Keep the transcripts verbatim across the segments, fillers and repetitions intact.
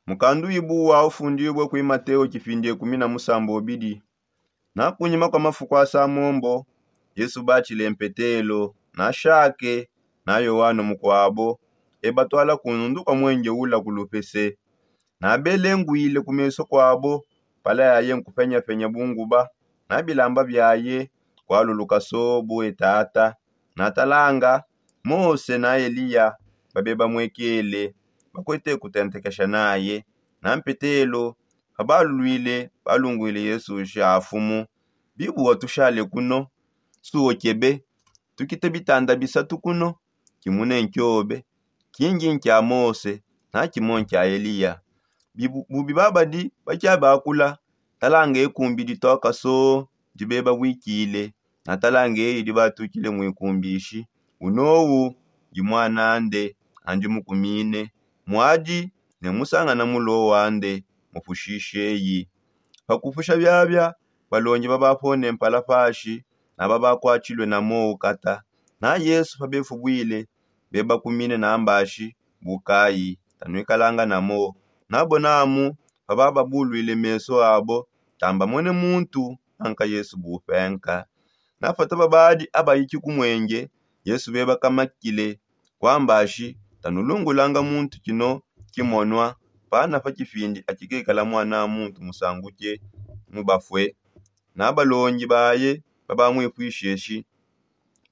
Mukandu ibu wa ufundibue kui mateo kipindi ekumi na musambo obidi. Na kunyima kwa mafuku asa mombo, yesu batshile mpetelo, na shake, na yohano mukuabo, ebatwala kunundu kwa mwenge ula kulupese. Na belenguile ku meso kuabo, pala yaye nkupenya-penya bunguba, na bilamba biaye kualuluka sobu etata. Na talanga, mose na eliya babe bamwekele, bakwete kutentekesha naye. Na mpetelo, pabalulwile, balungwile yesu shi afumu, bibu watushale kuno? Suokebe, tukite bitanda bisatu kuno, kimune nkiobe, kingi nkia mose, na kimo nkia eliya. Bubi babadi bakiabakula, talanga ekumbi ditoka soo, dibeba bwikile. Na talanga eyi dibatukile mwikumbishi, unowu ndi mwanande, andi mukumine, mwadi ne musangana mulo wande. Mupushishe eyi. Pakupusha biabia, balongi babapone mpala pashi, na babakuatshilue na mowu kata. Na yesu pabefubwile, bebakumine na mbashi, bukayi, tanuikalanga na mowu. Nabo namu, pabababulwile meso abo, tambamone muntu, anka yesu bupenka. Napata babadi abayiki ku mwenge, yesu bebakamakile, kwamba shi, tanulungulanga muntu kino kimonwa, pana pa kipindi akikekala mwana muntu musanguke mubafue. Na balongi baye babamwipwishe shi,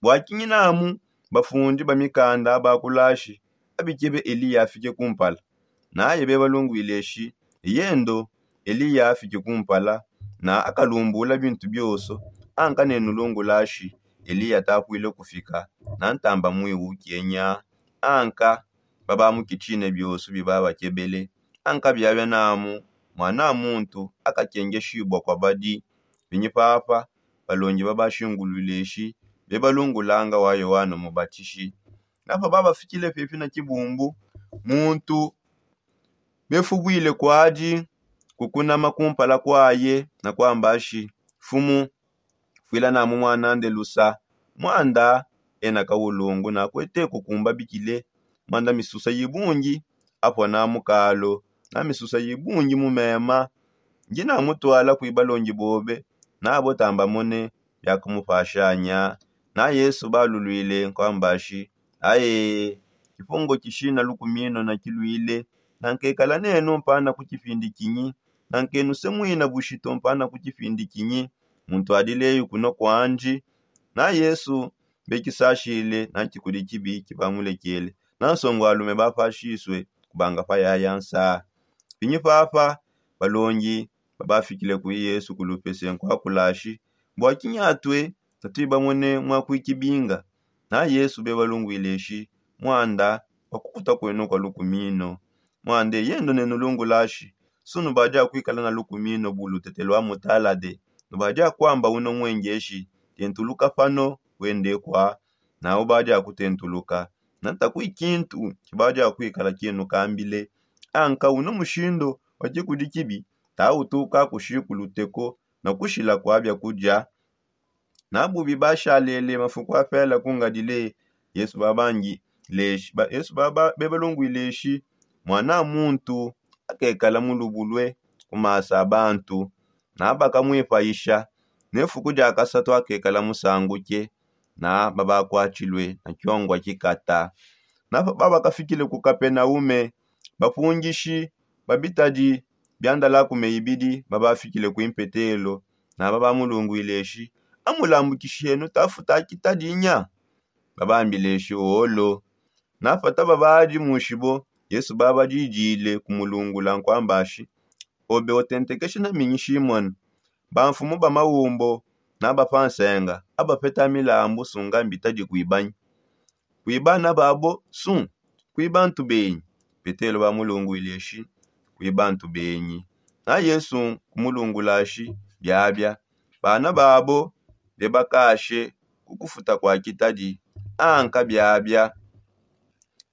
bua kinyinamu bafundi ba mikanda abakulashi abikebe eliya afike kumpala? Naye bebalungwile shi, eyendo, eliya afike kumpala, na akalumbula bintu bioso. Anka nenulungulashi, eliya takuile kufika, na ntamba mwiwukenya. Anka babamukitshine bioso bibabakebele. Anka biabia namu, mwana muntu akakengeshibua kwa badi. Pinyi papa, balongi babashingulwile shi, bebalungulanga wa yohano mubatishi. Napa babafikile pepi na kibumbu, muntu befubwile kwadi kukunama kumpala kwaye, na kwamba shi, fumu, fwila namu mwanande lusa. Mwanda ena kawulungu, na kwete kukumba bikile. Mwanda misusa yibungi, apua na mukalo, na misusa yibungi mu mema. Ndi namutwala kui balongi bobe, nabo tambamone biakumupashanya. Na yesu balulwile nkwambashi, aye, kipungo kishina lukumino nakilwile. Nankekala nenu mpana ku kipindi kinyi? Nankenu semwina bushitu mpana ku kipindi kinyi? Muntu adileyu kuno kwandi. Na yesu bekisashile na kikudi kibi kibamulekele, na nsongo alume bapashisue kubanga pa yaya nsaa. Pinyi papa, balongi babafikile kui yesu kulupese nkwakulashi, bua kinyatue tatuibamone mwakuikibinga? Na yesu bebalungwile shi, mwanda, pakukuta kwenu kwa lukumino. Mwande yendo nenulungulashi, sunu badi akuikala na lukumino bu lutete lua mutalade. Nubadi akuamba uno mwengeshi, tentuluka pano, wende kwa, na ubadi akutentuluka. Nata kui kintu kibadi akuikala kienu kambile. Anka uno mushindo wa kikudi kibi, tautuka kushi kuluteko na kushila kwa biakudia. Na bubi bashalele mafuku apela ku ngadile, yesu babangi leshi ba yesu baba bebalungwile shi, mwana muntu akekala mulubulue ku masu a bantu. Na bakamwipayisha, ne fuku dia kasatu akekala musanguke. Na babakuatshilue na kiongua kikata. Na babakafikile ku kapenaume, bapungishi ba bitadi bia ndalakume ibidi babafikile kui mpetelo. Na babamulungwile shi, amulambukishenu tafuta kitadi nya? Babambile shi, olo. Napata babadi mushibo, yesu babadidile kumulungula nkwamba shi, obe otentekeshe na minyi shimona? Bamfumu ba maumbo na bapansenga abapeta milambu sunga mbitadi kuibanyi? Kuibana babo su, kuiba ntu benyi? Petelo bamulungwile shi, kuiba ntu benyi. Na yesu kumulungula shi, biabia, bana babo bebakashe ku kufuta kua kitadi. Anka biabia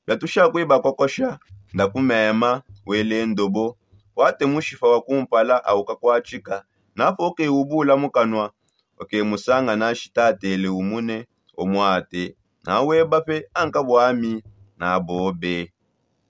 biatusha kuibakokosha. Ndakumema wele ndobo, wate mushipa wa kumpala au kakuatshika. Napoke ubula mukanua, oke musanga na shitatele umune, omwate. Na weba pe anka buami na bobe.